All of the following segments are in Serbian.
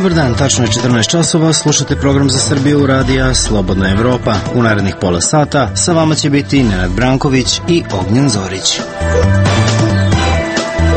Dobar dan, tačno je 14 časova, slušate program za Srbiju radija Slobodna Evropa. U narednih pola sata sa vama će biti Nenad Branković i Ognjen Zorić.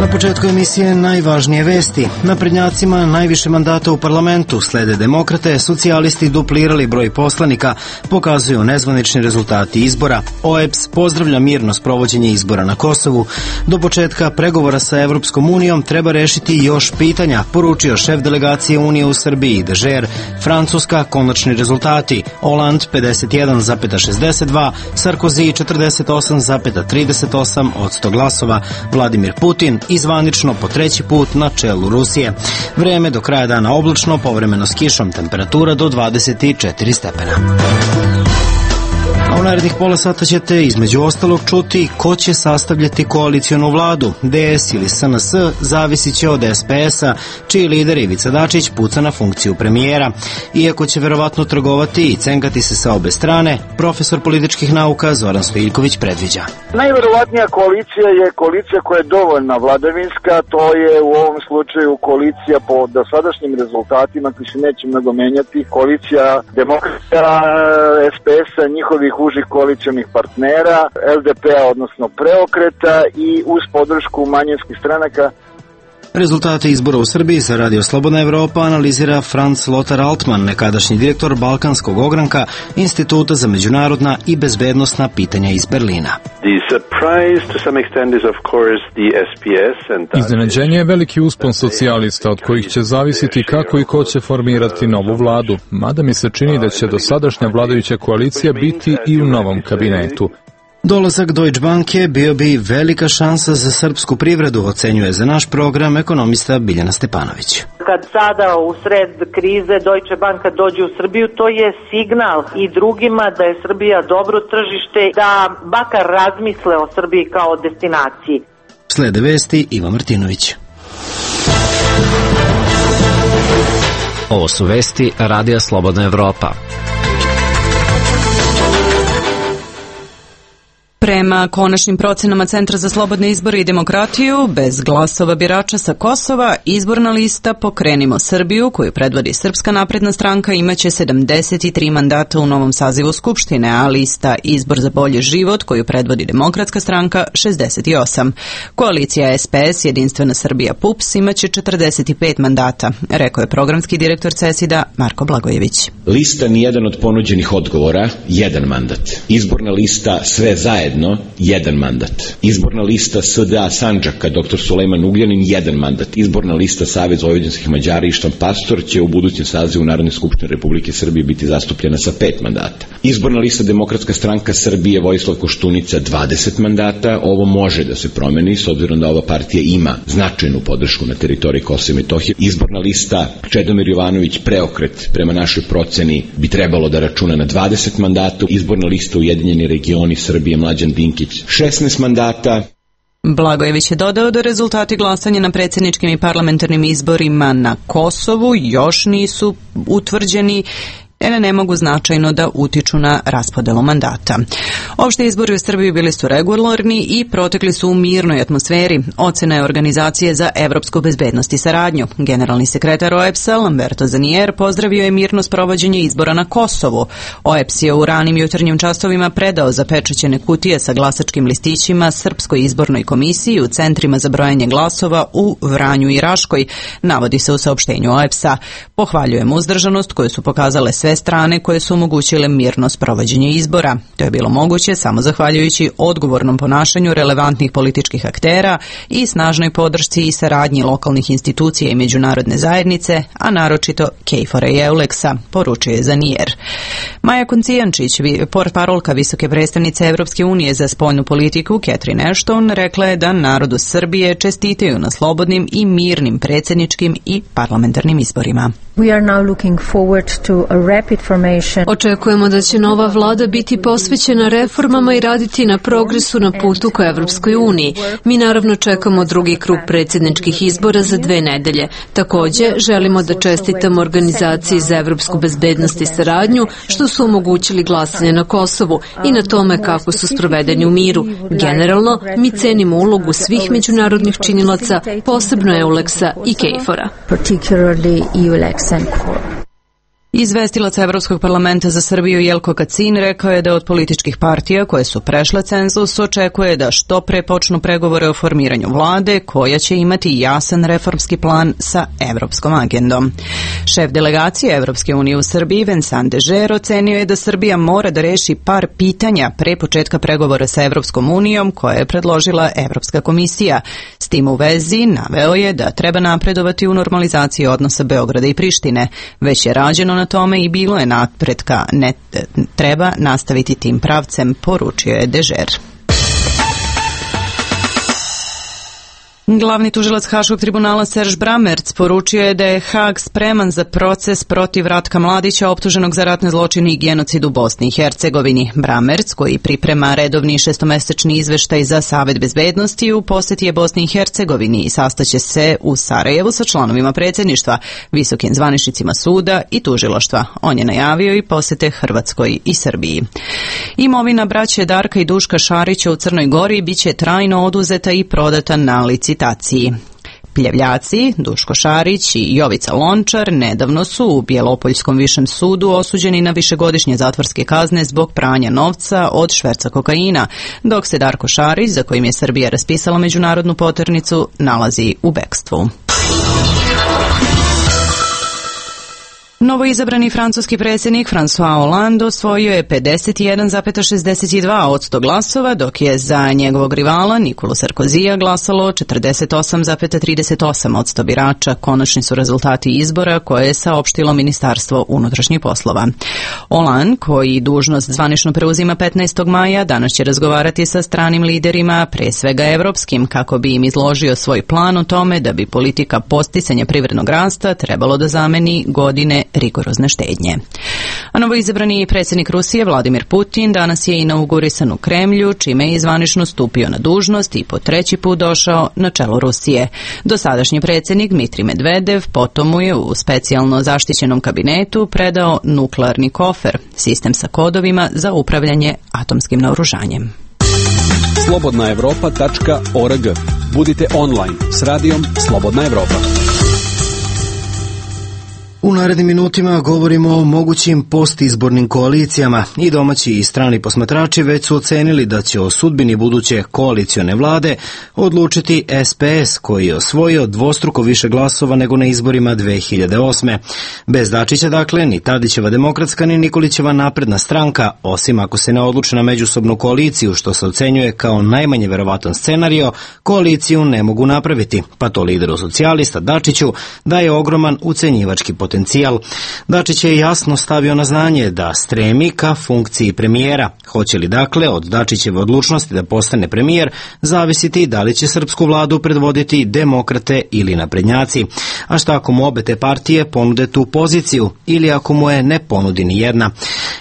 Na početku emisije najvažnije vesti. Naprednjacima najviše mandata u parlamentu slede demokrate, socijalisti duplirali broj poslanika, pokazuju nezvanični rezultati izbora. OEBS pozdravlja mirno sprovođenje izbora na Kosovu. Do početka pregovora sa Evropskom unijom treba rešiti još pitanja, poručio šef delegacije Unije u Srbiji Dežer. Francuska konačni rezultati: Hollande 51,62, Sarkozy 48,38% glasova, Vladimir Putin i zvanično po treći put na čelu Rusije. Vreme do kraja dana oblačno, povremeno s kišom, temperatura do 24 stepena. A u narednih pola sata ćete između ostalog čuti ko će sastavljati koalicionu vladu. DS ili SNS zavisit će od SPS-a, čiji lider Ivica Dačić puca na funkciju premijera. Iako će verovatno trgovati i cenkati se sa obe strane, profesor političkih nauka Zoran Stojiljković predviđa. Najverovatnija koalicija je koalicija koja je dovoljna vladavinska, to je u ovom slučaju koalicija po dosadašnjim rezultatima koji se neće mnogo menjati, koalicija demokrata, SPS-a, njihovih užih koalicionih partnera, LDP-a, odnosno Preokreta, i uz podršku manjinskih stranaka. Rezultate izbora u Srbiji za Radio Slobodna Evropa analizira Franz Lothar Altmann, nekadašnji direktor Balkanskog ogranka Instituta za međunarodna i bezbednosna pitanja iz Berlina. Iznenađenje je veliki uspon socijalista od kojih će zavisiti kako i ko će formirati novu vladu, mada mi se čini da će dosadašnja vladajuća koalicija biti i u novom kabinetu. Dolazak Deutsche Banke bio bi velika šansa za srpsku privredu, ocenjuje za naš program ekonomista Biljana Stepanović. Kad sada u sred krize Deutsche Banka dođe u Srbiju, to je signal i drugima da je Srbija dobro tržište, da makar razmisle o Srbiji kao destinaciji. Slede vesti, Iva Martinović. Ovo su vesti Radija Slobodna Evropa. Prema konačnim procenama Centra za slobodne izbore i demokratiju, bez glasova birača sa Kosova, izborna lista Pokrenimo Srbiju, koju predvodi Srpska napredna stranka, imaće 73 mandata u novom sazivu Skupštine, a lista Izbor za bolji život, koju predvodi Demokratska stranka, 68. Koalicija SPS, Jedinstvena Srbija PUPS, imaće 45 mandata, rekao je programski direktor CESID-a Marko Blagojević. Lista nijedan od ponuđenih odgovora, 1 mandat. Izborna lista Sve zajedno, 1 mandat. Izborna lista SDA Sandžaka, dr. Sulejman Ugljanin, 1 mandat. Izborna lista Savez vojvođanskih Mađara Ištan Pastor će u budućem sazivu Narodne skupštine Republike Srbije biti zastupljena sa 5 mandata. Izborna lista Demokratska stranka Srbije Vojislav Koštunica, 20 mandata. Ovo može da se promeni s obzirom da ova partija ima značajnu podršku na teritoriji Kosova i Metohije. Izborna lista Čedomir Jovanović Preokret, prema našoj proceni, bi trebalo da računa na 20 mandata. Izborna lista Ujedinjeni regioni Srbije Mlađan Dinkić, 16 mandata. Blagojević je dodao da rezultati glasanja na predsjedničkim i parlamentarnim izborima na Kosovu još nisu utvrđeni, ne mogu značajno da utiču na raspodelu mandata. Opšte izbori u Srbiji bili su regularni i protekli su u mirnoj atmosferi. Ocena je Organizacije za evropsku bezbednost i saradnju. Generalni sekretar OEBS-a Lamberto Zanier pozdravio je mirno sprovođenje izbora na Kosovu. OEBS je u ranim jutarnjim časovima predao zapečaćene kutije sa glasačkim listićima Srpskoj izbornoj komisiji u centrima za brojanje glasova u Vranju i Raškoj, navodi se u saopštenju OEBS-a. Pohvaljujem uzdržanost koju su pokazale sve strane koje su omogućile mirno sprovođenje izbora. To je bilo moguće samo zahvaljujući odgovornom ponašanju relevantnih političkih aktera i snažnoj podršci i saradnji lokalnih institucija i međunarodne zajednice, a naročito KFOR-a i EULEX-a, poručio je Zanier. Maja Koncijančić, portparolka visoke predstavnice Evropske unije za spoljnu politiku Catherine Ashton, rekla je da narodu Srbije čestitaju na slobodnim i mirnim predsjedničkim i parlamentarnim izborima. Očekujemo da će nova vlada biti posvećena reformama i raditi na progresu na putu ka Evropskoj uniji. Mi naravno čekamo drugi krug predsjedničkih izbora za 2 nedelje. Također, želimo da čestitamo Organizaciji za evropsku bezbednost i saradnju što su omogućili glasanje na Kosovu i na tome kako su sprovedeni u miru. Generalno, mi cenimo ulogu svih međunarodnih činilaca, posebno EULEX-a i KFOR-a. Izvestilac Evropskog parlamenta za Srbiju Jelko Kacin rekao je da od političkih partija koje su prešle cenzus očekuje da što pre počnu pregovore o formiranju vlade koja će imati jasan reformski plan sa evropskom agendom. Šef delegacije Evropske unije u Srbiji Vincent Dežer ocenio je da Srbija mora da reši par pitanja pre početka pregovora sa Evropskom unijom koje je predložila Evropska komisija. S tim u vezi naveo je da treba napredovati u normalizaciji odnosa Beograda i Prištine. Već je rađeno na tome i bilo je napretka, ne treba nastaviti tim pravcem, poručio je Dežer. Glavni tužilac Haškog tribunala Serž Bramerc poručio je da je Hag spreman za proces protiv Ratka Mladića optuženog za ratne zločine i genocid u Bosni i Hercegovini. Bramerc, koji priprema redovni šestomesečni izveštaj za Savet bezbednosti, u poseti je Bosni i Hercegovini i sastaće se u Sarajevu sa članovima predsjedništva, visokim zvaničnicima suda i tužilaštva. On je najavio i posete Hrvatskoj i Srbiji. Imovina braće Darka i Duška Šarića u Crnoj Gori biće trajno oduzeta i prodata na licitaciji. Pljevljaci, Duško Šarić i Jovica Lončar nedavno su u Bjelopoljskom višem sudu osuđeni na višegodišnje zatvorske kazne zbog pranja novca od šverca kokaina, dok se Darko Šarić, za kojim je Srbija raspisala međunarodnu poternicu, nalazi u bekstvu. Novoizabrani francuski predsjednik François Hollande osvojio je 51,62% glasova, dok je za njegovog rivala Nikolu Sarkozija glasalo 48,38% birača. Konačni su rezultati izbora koje je saopštilo Ministarstvo unutrašnjih poslova. Hollande, koji dužnost zvanično preuzima 15. maja, danas će razgovarati sa stranim liderima, pre svega evropskim, kako bi im izložio svoj plan o tome da bi politika podsticanja privrednog rasta trebalo da zameni godine rigorozne štednje. A novoizabrani predsjednik Rusije Vladimir Putin danas je inaugurisan u Kremlju, čime je zvanično stupio na dužnost i po treći put došao na čelo Rusije. Dosadašnji predsjednik Dmitrij Medvedev potom mu je u specijalno zaštićenom kabinetu predao nuklearni kofer, sistem sa kodovima za upravljanje atomskim naoružanjem. slobodnaevropa.org. Budite online s radijom Slobodna Evropa. U narednim minutima govorimo o mogućim postizbornim koalicijama. I domaći i strani posmatrači već su ocenili da će o sudbini buduće koalicione vlade odlučiti SPS, koji je osvojio dvostruko više glasova nego na izborima 2008. Bez Dačića, dakle, ni Tadićeva Demokratska ni Nikolićeva Napredna stranka, osim ako se ne odluče na međusobnu koaliciju, što se ocenjuje kao najmanje verovatan scenario, koaliciju ne mogu napraviti, pa to lideru socijalista Dačiću daje ogroman ucenjivački potencijal. Dačić je jasno stavio na znanje da stremi ka funkciji premijera. Hoće li dakle od Dačićeve odlučnosti da postane premijer zavisiti da li će srpsku vladu predvoditi demokrate ili naprednjaci. A šta ako mu obe te partije ponude tu poziciju ili ako mu je ne ponudi ni jedna?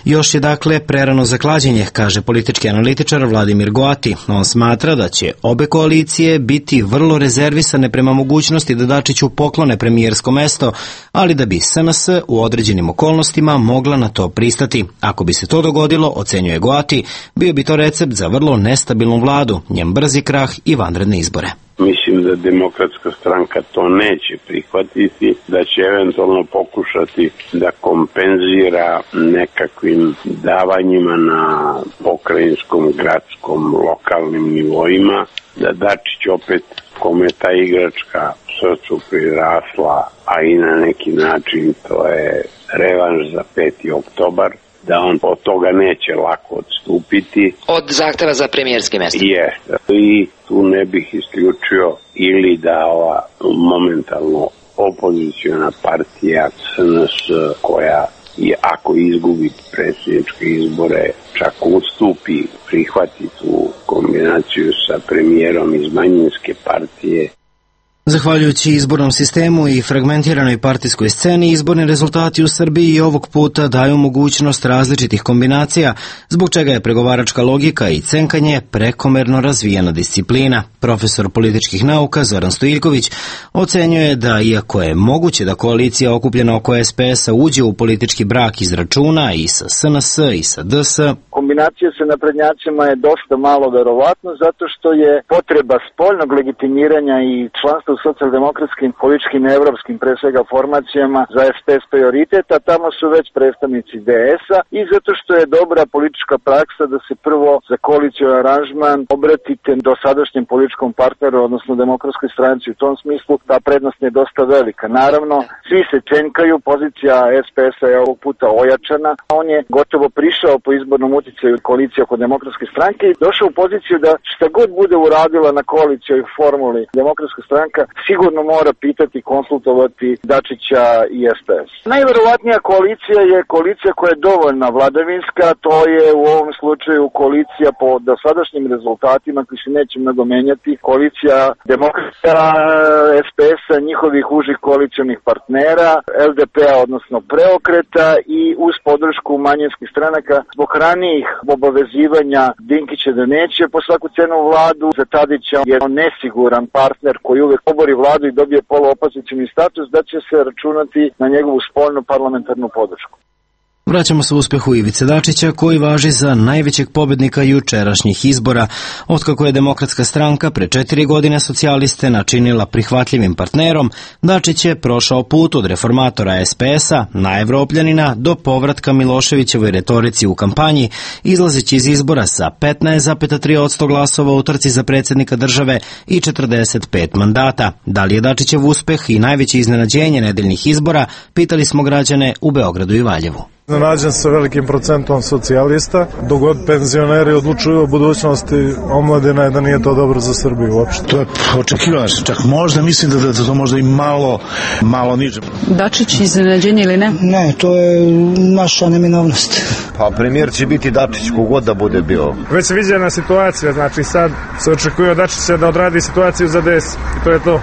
Još je dakle prerano za klađenje, kaže politički analitičar Vladimir Goati. On smatra da će obe koalicije biti vrlo rezervisane prema mogućnosti da Dačiću poklone premijersko mesto, ali da bi SNS u određenim okolnostima mogla na to pristati. Ako bi se to dogodilo, ocenjuje Goati, bio bi to recept za vrlo nestabilnu vladu, njen brzi krah i vanredne izbore. Mislim da Demokratska stranka to neće prihvatiti, da će eventualno pokušati da kompenzira nekakvim davanjima na pokrajinskom, gradskom, lokalnim nivoima, da Dačić opet, kome je ta igračka srcu prirasla, a i na neki način to je revanš za 5. oktobar, da on od toga neće lako odstupiti. Od zahteva za premijerski mjesto. Jeste. I tu ne bih isključio ili da ova momentalno opoziciona partija SNS, koja i ako izgubi predsjedničke izbore, čak ustupi, prihvati tu kombinaciju sa premijerom iz manjinske partije. Zahvaljujući izbornom sistemu i fragmentiranoj partijskoj sceni, izborni rezultati u Srbiji i ovog puta daju mogućnost različitih kombinacija, zbog čega je pregovaračka logika i cenkanje prekomerno razvijena disciplina. Profesor političkih nauka Zoran Stojiljković ocenjuje da, iako je moguće da koalicija okupljena oko SPS-a uđe u politički brak iz računa i sa SNS i sa DS, kombinacija sa naprednjacima je dosta malo verovatno zato što je potreba spoljnog legitimiranja i članstva u socijaldemokratskim, političkim i evropskim pre svega formacijama za SPS prioritet, a tamo su već predstavnici DS-a i zato što je dobra politička praksa da se prvo za koalicioni aranžman obratite do sadašnjem političkom partneru, odnosno Demokratskoj stranci. U tom smislu ta prednost je dosta velika. Naravno, svi se čenkaju, pozicija SPS-a je ovog puta ojačana. On je gotovo prišao po izbornom uticaju koalicije oko Demokratske stranke i došao u poziciju da šta god bude uradila na koalicijoj formuli Demokratska stranka sigurno mora pitati, konsultovati Dačića i SPS. Najverovatnija koalicija je koalicija koja je dovoljna vladavinska, to je u ovom slučaju koalicija po dosadašnjim rezultatima koji se neće mnogo menjati, koalicija Demokrata, SPS-a, njihovih užih koalicionih partnera, LDP-a, odnosno Preokreta i uz podršku manjinskih stranaka zbog ranijih obavezivanja Dinkića da neće po svaku cenu vladu, za Tadića je nesiguran partner koji uvek obori vladu i dobije poluopozicioni status, da će se računati na njegovu spoljnu parlamentarnu podršku. Vraćamo se u uspehu Ivice Dačića, koji važi za najvećeg pobednika jučerašnjih izbora. Otkako je Demokratska stranka pre 4 godine socijaliste načinila prihvatljivim partnerom, Dačić je prošao put od reformatora SPS-a, najevropljanina, do povratka Miloševićevoj retorici u kampanji, izlazeći iz izbora sa 15,3% glasova u trci za predsjednika države i 45 mandata. Da li je Dačićev uspeh i najveće iznenađenje nedeljnih izbora, pitali smo građane u Beogradu i Valjevu. Nađen sa velikim procentom socijalista, dok god penzioneri odlučuju o budućnosti omladine, da nije to dobro za Srbiju uopšte. To je očekivano, čak možda mislim da to možda i malo niže. Dačić iznenađenje ili ne? Ne, to je naša neminovnost. Pa premijer će biti Dačić, kogod da bude bio. Već se viđena situacija, znači sad se očekuje od Dačića da odradi situaciju za DS i to je to.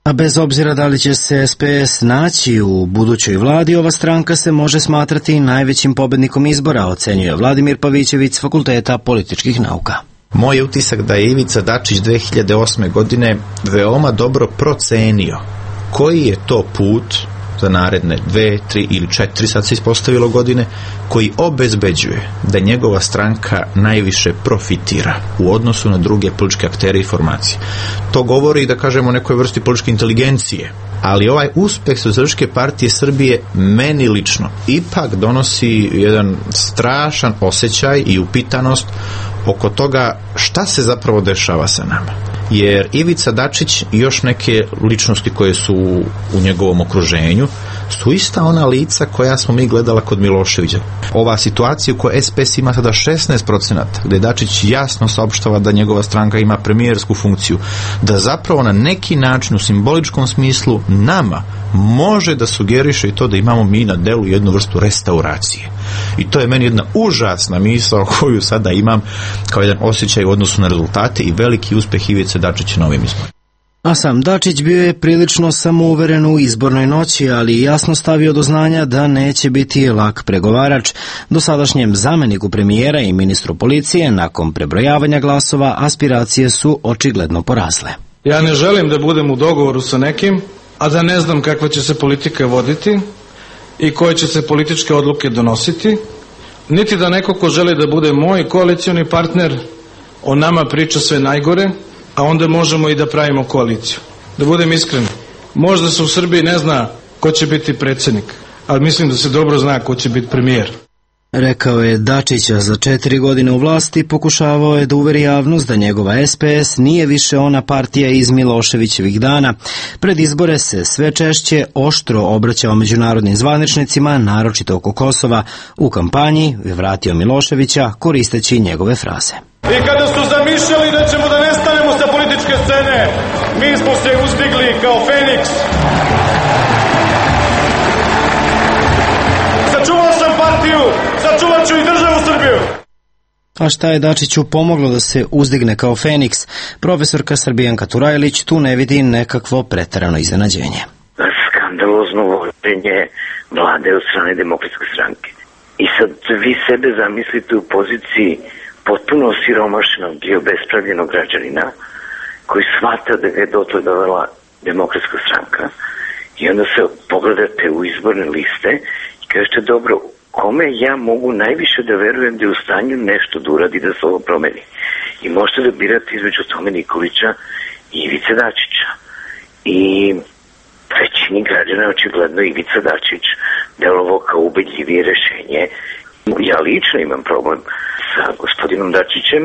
A bez obzira da li će se SPS naći u budućoj vladi, ova stranka se može smatrati najvećim pobednikom izbora, ocenjuje Vladimir Pavićević s Fakulteta političkih nauka. Moj je utisak da je Ivica Dačić 2008. godine veoma dobro procenio koji je to put za naredne 2, 3 ili 4, sad se ispostavilo godine, koji obezbeđuje da njegova stranka najviše profitira u odnosu na druge političke aktere i formacije. To govori, da kažemo, o nekoj vrsti političke inteligencije, ali ovaj uspeh Socijalističke partije Srbije meni lično ipak donosi jedan strašan osjećaj i upitanost oko toga šta se zapravo dešava sa nama. Jer Ivica Dačić i još neke ličnosti koje su u njegovom okruženju su ista ona lica koja smo mi gledala kod Miloševića. Ova situacija u kojoj SPS ima sada 16%, gde Dačić jasno saopštava da njegova stranka ima premijersku funkciju, da zapravo na neki način u simboličkom smislu nama može da sugeriše i to da imamo mi na delu jednu vrstu restauracije. I to je meni jedna užasna misao koju sada imam kao jedan osjećaj u odnosu na rezultate i veliki uspeh Ivice Dačića na ovim izborima. A sam Dačić bio je prilično samouveren u izbornoj noći, ali jasno stavio do znanja da neće biti lak pregovarač. Dosadašnjem zameniku premijera i ministru policije nakon prebrojavanja glasova aspiracije su očigledno porasle. Ja ne želim da budem u dogovoru sa nekim, a da ne znam kakva će se politika voditi i koje će se političke odluke donositi, niti da neko ko želi da bude moj koalicioni partner o nama priča sve najgore, a onda možemo i da pravimo koaliciju. Da budem iskren, možda se u Srbiji ne zna ko će biti predsjednik, ali mislim da se dobro zna ko će biti premijer. Rekao je Dačića za 4 godine u vlasti, pokušavao je da uveri javnost da njegova SPS nije više ona partija iz Miloševićevih dana. Pred izbore se sve češće oštro obraćao međunarodnim zvaničnicima, naročito oko Kosova. U kampanji je vratio Miloševića koristeći njegove fraze. I kada su zamišljali da ćemo da nestanemo sa političke scene, mi smo se uzdigli kao Feniks. Sačuvao sam partiju, sačuvat ću i državu Srbiju. A šta je Dačiću pomoglo da se uzdigne kao Feniks? Profesorka Srbijanka Turajlić tu ne vidi nekakvo preterano iznenađenje. Skandalozno vođenje vlade od strane Demokratske stranke. I sad vi sebe zamislite u poziciji potpuno osiromašenog i obespravljenog građanina koji shvata da ga je dotle dovela Demokratska stranka i onda se pogledate u izborne liste i kažete dobro, kome ja mogu najviše da verujem da je u stanju nešto da uradi da se ovo promeni. I možete da birate između Tome Nikolića i Ivice Dačića. I većini građana je očigledno Ivica Dačić delovao kao ubedljivije rešenje. Ja lično imam problem sa gospodinom Dačićem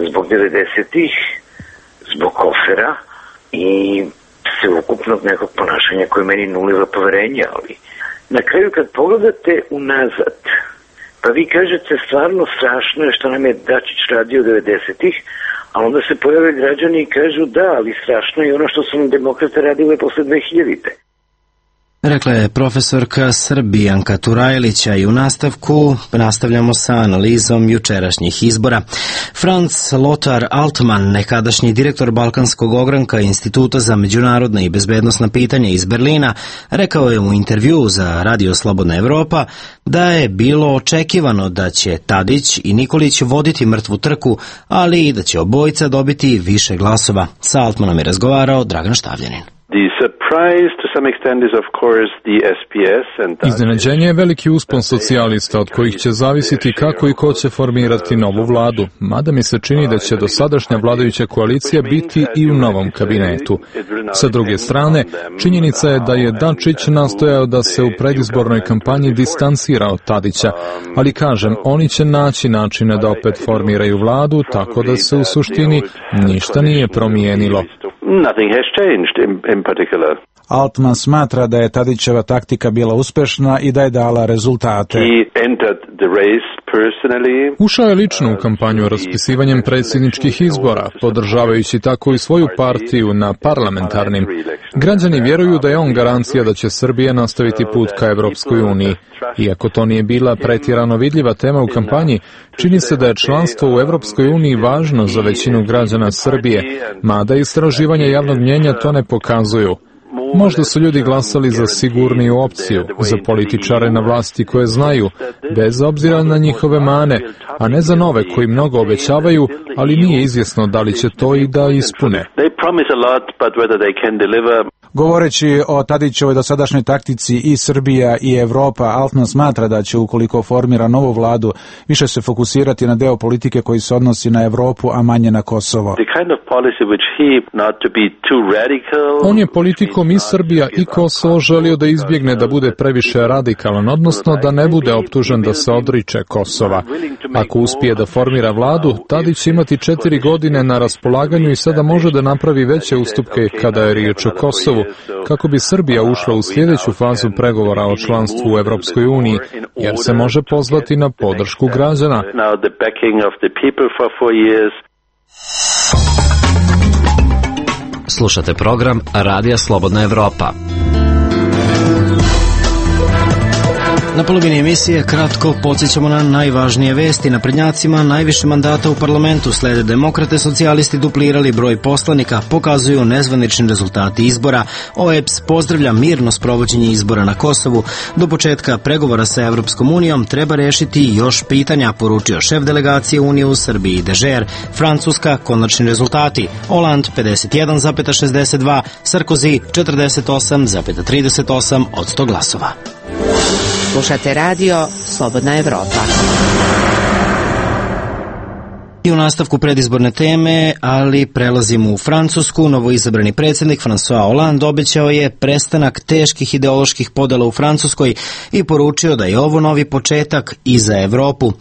zbog 90-ih, zbog kofera i sveukupnog nekog ponašanja koje meni nuliva poverenja, ali na kraju kad pogledate unazad, pa vi kažete stvarno strašno je što nam je Dačić radio 90-ih, a onda se pojave građani i kažu da, ali strašno je ono što su nam demokrate radile posle 2000-te. Rekla je profesorka Srbijanka Turajlića i u nastavku nastavljamo sa analizom jučerašnjih izbora. Franz Lothar Altmann, nekadašnji direktor Balkanskog ogranka Instituta za međunarodna i bezbednosna pitanja iz Berlina, rekao je u intervjuu za Radio Slobodna Evropa da je bilo očekivano da će Tadić i Nikolić voditi mrtvu trku, ali i da će obojica dobiti više glasova. Sa Altmanom je razgovarao Dragan Štavljanin. Iznenađenje je veliki uspon socijalista od kojih će zavisiti kako i ko će formirati novu vladu, mada mi se čini da će dosadašnja vladajuća koalicija biti i u novom kabinetu. Sa druge strane, činjenica je da je Dačić nastojao da se u predizbornoj kampanji distancira od Tadića, ali kažem, oni će naći načine da opet formiraju vladu, tako da se u suštini ništa nije promijenilo. Nothing has changed in particular. Altman smatra da je Tadićeva taktika bila uspešna i da je dala rezultate. Ušao je lično u kampanju raspisivanjem predsjedničkih izbora, podržavajući tako i svoju partiju na parlamentarnim. Građani vjeruju da je on garancija da će Srbija nastaviti put ka Evropskoj uniji. Iako to nije bila pretjerano vidljiva tema u kampanji, čini se da je članstvo u Evropskoj uniji važno za većinu građana Srbije, mada istraživanja javnog mnjenja to ne pokazuju. Možda su ljudi glasali za sigurniju opciju, za političare na vlasti koje znaju, bez obzira na njihove mane, a ne za nove koji mnogo obećavaju, ali nije izvjesno da li će to i da ispune. Govoreći o Tadićevoj dosadašnjoj taktici i Srbija i Evropa, Altman smatra da će, ukoliko formira novu vladu, više se fokusirati na deo politike koji se odnosi na Evropu, a manje na Kosovo. On je politikom i Srbija i Kosovo želio da izbjegne da bude previše radikalan, odnosno da ne bude optužen da se odriče Kosova. Ako uspije da formira vladu, Tadić će imati 4 godine na raspolaganju i sada može da napravi veće ustupke kada je riječ o Kosovu, kako bi Srbija ušla u sljedeću fazu pregovora o članstvu u Evropskoj uniji, jer se može pozvati na podršku građana. Slušate program Radija Slobodna Evropa. Na polovini emisije kratko podsjećamo na najvažnije vesti. Naprednjacima najviše mandata u parlamentu slede demokrate, socijalisti duplirali broj poslanika, pokazuju nezvanični rezultati izbora. OEBS pozdravlja mirno sprovođenje izbora na Kosovu. Do početka pregovora sa Evropskom unijom treba rešiti još pitanja, poručio šef delegacije Unije u Srbiji Dežer. Francuska, konačni rezultati. Hollande 51,62, Sarkozy 48,38 od 100 glasova. Slušate radio Slobodna Evropa. I u nastavku predizborne teme, ali prelazimo u Francusku. Novoizabrani predsjednik François Hollande obećao je prestanak teških ideoloških podela u Francuskoj i poručio da je ovo novi početak i za Evropu.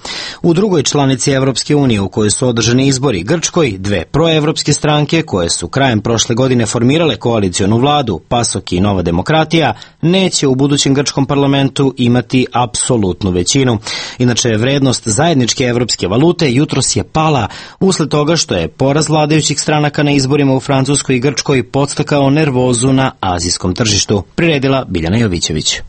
U drugoj članici Evropske unije u kojoj su održani izbori, Grčkoj, dve proevropske stranke koje su krajem prošle godine formirale koalicionu vladu, PASOK i Nova demokratija, neće u budućem grčkom parlamentu imati apsolutnu većinu. Inače, vrednost zajedničke evropske valute jutros je pala usled toga što je poraz vladajućih stranaka na izborima u Francuskoj i Grčkoj podstakao nervozu na azijskom tržištu. Priredila Biljana Jovićević.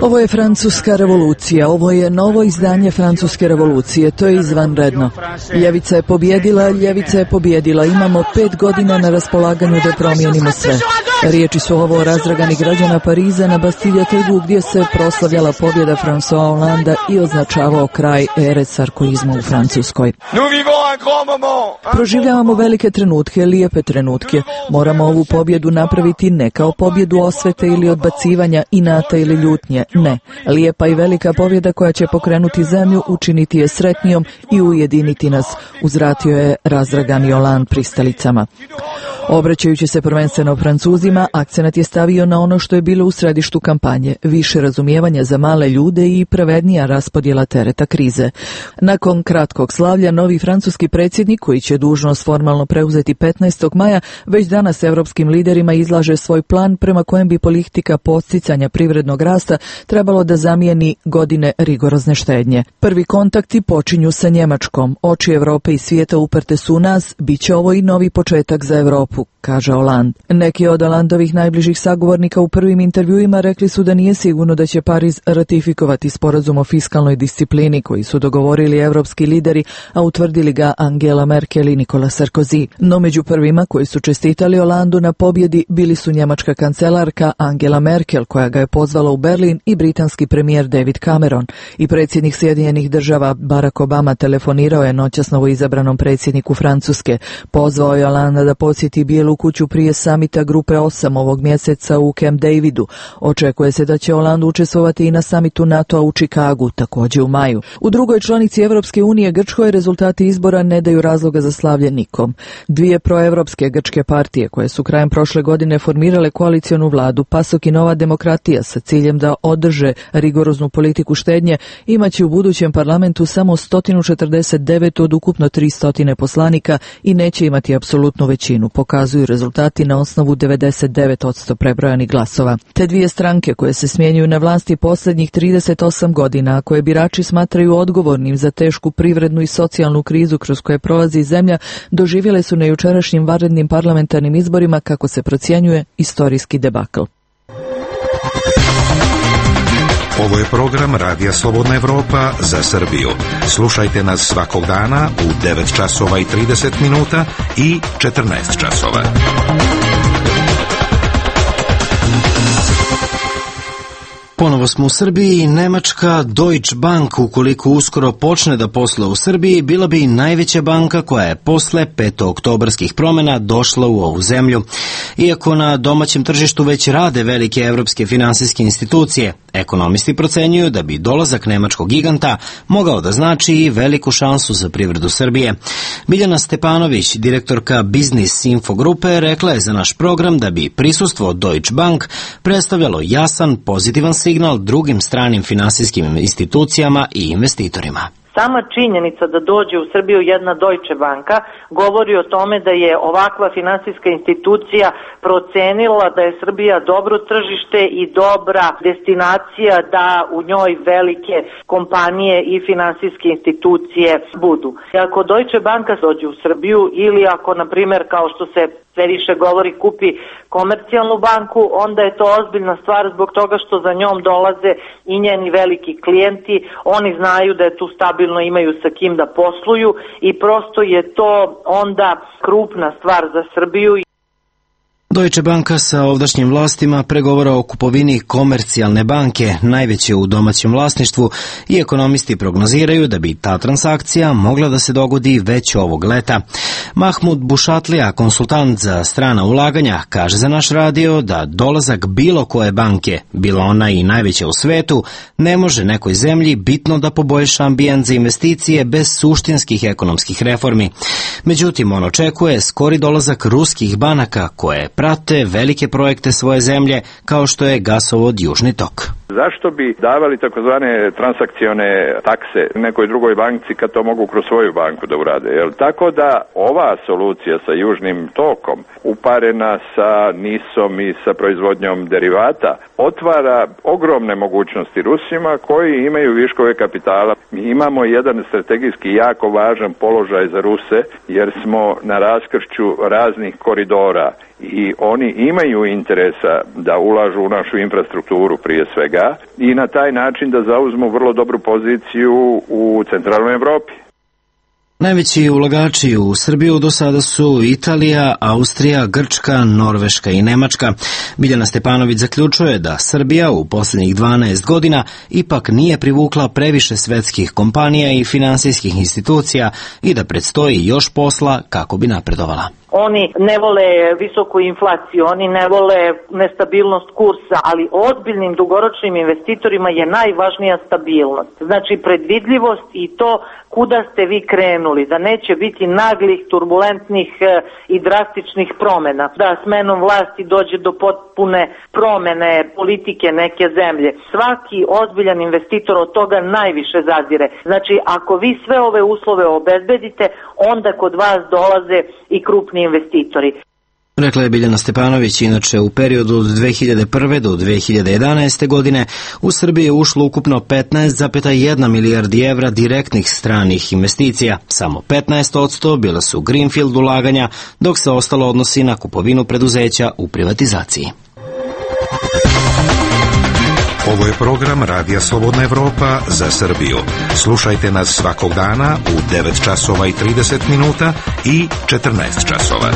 Ovo je francuska revolucija, ovo je novo izdanje francuske revolucije, to je izvanredno. Ljevica je pobjedila, imamo 5 godina na raspolaganju da promijenimo sve. Riječi su ovo razdragani građana Pariza na Bastilje trgu gdje se proslavljala pobjeda François Hollanda i označavao kraj ere sarkoizma u Francuskoj. Proživljavamo velike trenutke, lijepe trenutke. Moramo ovu pobjedu napraviti ne kao pobjedu osvete ili odbacivanja, inata ili ljutnje. Ne. Lijepa i velika pobjeda koja će pokrenuti zemlju, učiniti je sretnijom i ujediniti nas, uzvratio je razdragani Hollande pristalicama. Obraćajući se prvenstveno Francuzima, akcenat je stavio na ono što je bilo u središtu kampanje, više razumijevanja za male ljude i pravednija raspodjela tereta krize. Nakon kratkog slavlja, novi francuski predsjednik, koji će dužnost formalno preuzeti 15. maja, već danas evropskim liderima izlaže svoj plan prema kojem bi politika podsticanja privrednog rasta trebalo da zamijeni godine rigorozne štednje. Prvi kontakti počinju sa Njemačkom. Oči Evrope i svijeta uprte su u nas, bit će ovo i novi početak za Evropu, kaže Hollande. Neki od Hollandovih najbližih sagovornika u prvim intervjuima rekli su da nije sigurno da će Pariz ratifikovati sporazum o fiskalnoj disciplini koji su dogovorili evropski lideri, a utvrdili ga Angela Merkel i Nicolas Sarkozy. No među prvima koji su čestitali Hollandu na pobjedi bili su njemačka kancelarka Angela Merkel, koja ga je pozvala u Berlin, i britanski premijer David Cameron. I predsjednik Sjedinjenih država Barack Obama telefonirao je noćas novoizabranom predsjedniku Francuske. Pozvao je Hollanda da posjeti Bijelu kuću prije samita Grupe 8 ovog mjeseca u Camp Davidu. Očekuje se da će Hollande učestvovati i na samitu NATO-a u Čikagu, također u maju. U drugoj članici Evropske unije, Grčkoj, rezultati izbora ne daju razloga za slavlje nikom. Dvije proevropske grčke partije, koje su krajem prošle godine formirale koalicionu vladu, PASOK i Nova demokratija, sa ciljem da održe rigoroznu politiku štednje, imaće u budućem parlamentu samo 149 od ukupno 300 poslanika i neće imati apsolutnu većinu, pokazuju rezultati na osnovu 99% prebrojanih glasova. Te dvije stranke, koje se smjenjuju na vlasti posljednjih 38 godina, a koje birači smatraju odgovornim za tešku privrednu i socijalnu krizu kroz koje prolazi zemlja, doživjele su na jučerašnjim vanrednim parlamentarnim izborima, kako se procjenjuje, istorijski debakl. Ovo je program Radija Slobodna Evropa za Srbiju. Slušajte nas svakog dana u 9 časova i 30 minuta i 14 časova. Ponovo smo u Srbiji i nemačka Deutsche Bank, ukoliko uskoro počne da posluje u Srbiji, bila bi najveća banka koja je posle 5. oktobarskih promjena došla u ovu zemlju. Iako na domaćem tržištu već rade velike evropske finansijske institucije, ekonomisti procenjuju da bi dolazak nemačkog giganta mogao da znači i veliku šansu za privredu Srbije. Biljana Stepanović, direktorka Biznis Info grupe, rekla je za naš program da bi prisustvo Deutsche Bank predstavljalo jasan, pozitivan signal drugim stranim finansijskim institucijama i investitorima. Sama činjenica da dođe u Srbiju jedna Deutsche Banka govori o tome da je ovakva finansijska institucija procenila da je Srbija dobro tržište i dobra destinacija da u njoj velike kompanije i finansijske institucije budu. Ako Deutsche Banka dođe u Srbiju ili ako, na primjer, kao što se sve više govori, kupi komercijalnu banku, onda je to ozbiljna stvar zbog toga što za njom dolaze i njeni veliki klijenti. Oni znaju da je tu stabilno, imaju sa kim da posluju i prosto je to onda krupna stvar za Srbiju. Deutsche Banka sa ovdašnjim vlastima pregovara o kupovini Komercijalne banke, najveće u domaćem vlasništvu, i ekonomisti prognoziraju da bi ta transakcija mogla da se dogodi već ovog leta. Mahmud Bušatlija, konsultant za strana ulaganja, kaže za naš radio da dolazak bilo koje banke, bila ona i najveća u svetu, ne može nekoj zemlji bitno da poboljša ambijent za investicije bez suštinskih ekonomskih reformi. Međutim, on očekuje skori dolazak ruskih banaka koje prate velike projekte svoje zemlje, kao što je gasovod Južni tok. Zašto bi davali takozvane transakcione takse nekoj drugoj banci kad to mogu kroz svoju banku da urade? Tako da ova solucija sa Južnim tokom, uparena sa NIS-om i sa proizvodnjom derivata, otvara ogromne mogućnosti Rusima koji imaju viškove kapitala. Mi imamo jedan strategijski jako važan položaj za Ruse jer smo na raskršću raznih koridora i oni imaju interesa da ulažu u našu infrastrukturu prije svega i na taj način da zauzmu vrlo dobru poziciju u centralnoj Evropi. Najveći ulagači u Srbiju do sada su Italija, Austrija, Grčka, Norveška i Nemačka. Biljana Stepanović zaključuje da Srbija u posljednjih 12 godina ipak nije privukla previše svetskih kompanija i finansijskih institucija i da predstoji još posla kako bi napredovala. oni ne vole visoku inflaciju, oni ne vole nestabilnost kursa, ali ozbiljnim dugoročnim investitorima je najvažnija stabilnost. Znači predvidljivost i to kuda ste vi krenuli, da neće biti naglih, turbulentnih i drastičnih promjena, da smenom vlasti dođe do potpune promjene politike neke zemlje. Svaki ozbiljan investitor od toga najviše zazire. Znači, ako vi sve ove uslove obezbedite, onda kod vas dolaze i krupni investitori. Rekla je Biljana Stepanović. Inače, u periodu od 2001. do 2011. godine u Srbiji je ušlo ukupno 15,1 milijardi evra direktnih stranih investicija. Samo 15% bila su greenfield ulaganja, dok se ostalo odnosi na kupovinu preduzeća u privatizaciji. Ovo je program Radija Slobodna Evropa za Srbiju. Slušajte nas svakog dana u 9 časova i 30 minuta i 14 časova.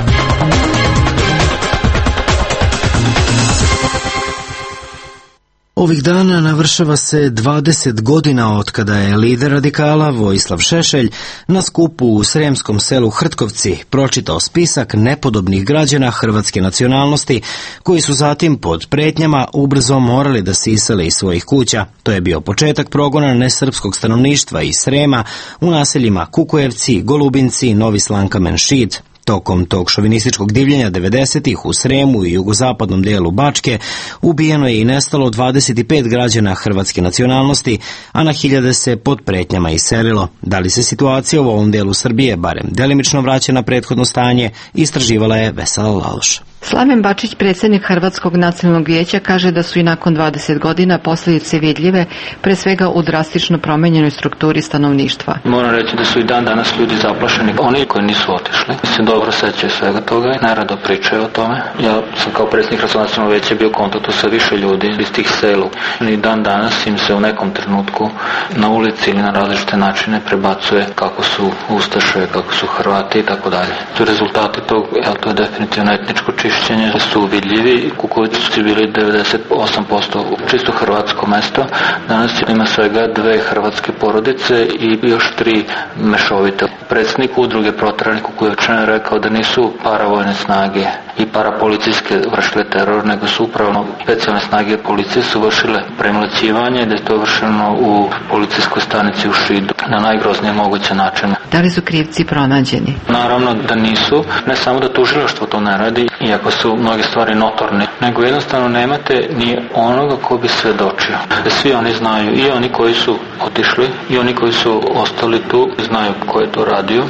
Ovih dana navršava se 20 godina od kada je lider radikala Vojislav Šešelj na skupu u sremskom selu Hrtkovci pročitao spisak nepodobnih građana hrvatske nacionalnosti koji su zatim pod pretnjama ubrzo morali da se isele iz svojih kuća. To je bio početak progona nesrpskog stanovništva iz Srema u naseljima Kukujevci, Golubinci, Novi Slankamen, Šid. Tokom tog šovinističkog divljenja 90-ih u Sremu i jugozapadnom delu Bačke ubijeno je i nestalo 25 građana hrvatske nacionalnosti, a na hiljade se pod pretnjama iselilo. Da li se situacija u ovom delu Srbije barem delimično vraća na prethodno stanje, istraživala je Vesela Laloš. Slaven Bačić, predsjednik Hrvatskog nacionalnog vijeća, kaže da su i nakon 20 godina posljedice vidljive, pre svega u drastično promenjenoj strukturi stanovništva. Moram reći da su i dan danas ljudi zaplašeni. Oni koji nisu otišli se dobro sećaju svega toga i najrado pričaju o tome. Ja sam kao predsjednik Hrvatskog nacionalnog vijeća bio u kontaktu sa više ljudi iz tih selu. I dan danas im se u nekom trenutku na ulici ili na različite načine prebacuje kako su Ustaše, kako su Hrvati i tako dalje. Rezultati tog, to je definitivno etničko čišćenje, su vidljivi. Kukovići su bili 98% čisto hrvatsko mesto. Danas ima svega 2 hrvatske porodice i još 3 mešovite. Predsjednik udruge Proteranih Kukujevčana je rekao da nisu paravojne snage i parapolicijske vršile teror, nego su upravo specijalne snage policije su vršile premlaćivanje, da je to vršeno u policijskoj stanici u Šidu na najgroznije moguće način. Da li su krivci pronađeni? Naravno da nisu, ne samo da tužilaštvo to ne radi, iako su mnoge stvari notorne, nego jednostavno nemate ni onoga ko bi svedočio. Svi oni znaju, i oni koji su otišli, i oni koji su ostali tu, znaju ko je to radio,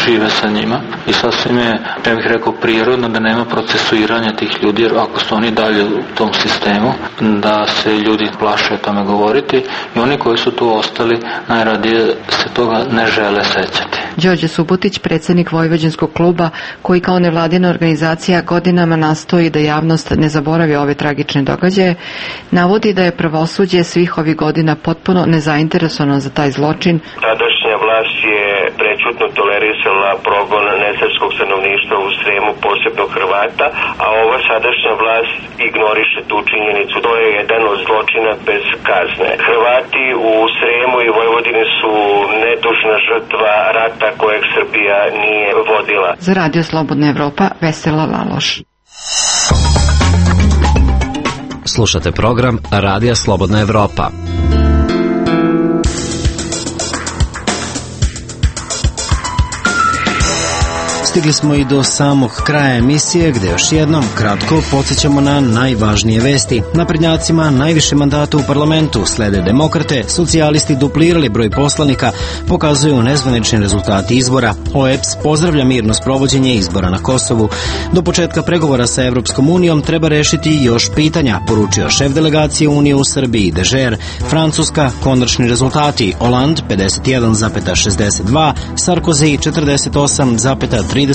žive sa njima i sasvim je, ja bih rekao, prirodno da nema procesuiranja tih ljudi, jer ako su oni dalje u tom sistemu, da se ljudi plaše o tome govoriti i oni koji su tu ostali najradije se toga ne žele sećati. Đorđe Subotić, predsjednik Vojvođanskog kluba, koji kao nevladina organizacija godinama nastoji da javnost ne zaboravi ove tragične događaje, navodi da je pravosuđe svih ovih godina potpuno nezainteresovano za taj zločin. Tadašnja vlast je prečutno tolerisala progon nesrpskog stanovništva u Sremu, posebno Hrvata, a ova sadašnja vlast ignoriše tu činjenicu. To je jedan od zločina bez kazne. Hrvati u Sremu i Vojvodini su nedužna žrtva rata kojeg Srbija nije vodila. Za Radio Slobodna Evropa, Vesela Laloš. Slušate program Radija Slobodna Evropa. Stigli smo i do samog kraja emisije, gde još jednom kratko podsjećamo na najvažnije vesti. Naprednjacima najviše mandata u parlamentu, slede demokrate, socijalisti duplirali broj poslanika, pokazuju nezvanični rezultati izbora. OEBS pozdravlja mirno sprovođenje izbora na Kosovu. Do početka pregovora sa Evropskom unijom treba rešiti još pitanja, poručio šef delegacije Unije u Srbiji Dežer. Francuska, konačni rezultati: Hollande 51,62, Sarkozy 48,38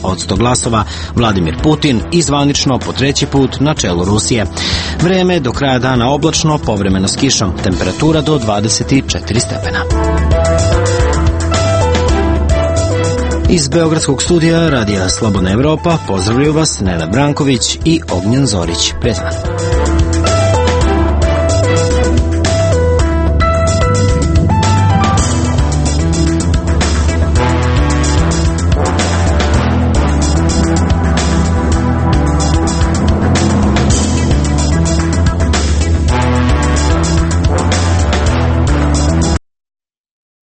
od 100 glasova, Vladimir Putin izvanično po 3. put na čelu Rusije. Vreme do kraja dana oblačno, povremeno s kišom, temperatura do 24 stepena. Iz Beogradskog studija Radija Slobodna Evropa pozdravljaju vas Nenad Branković i Ognjen Zorić. Prijatno.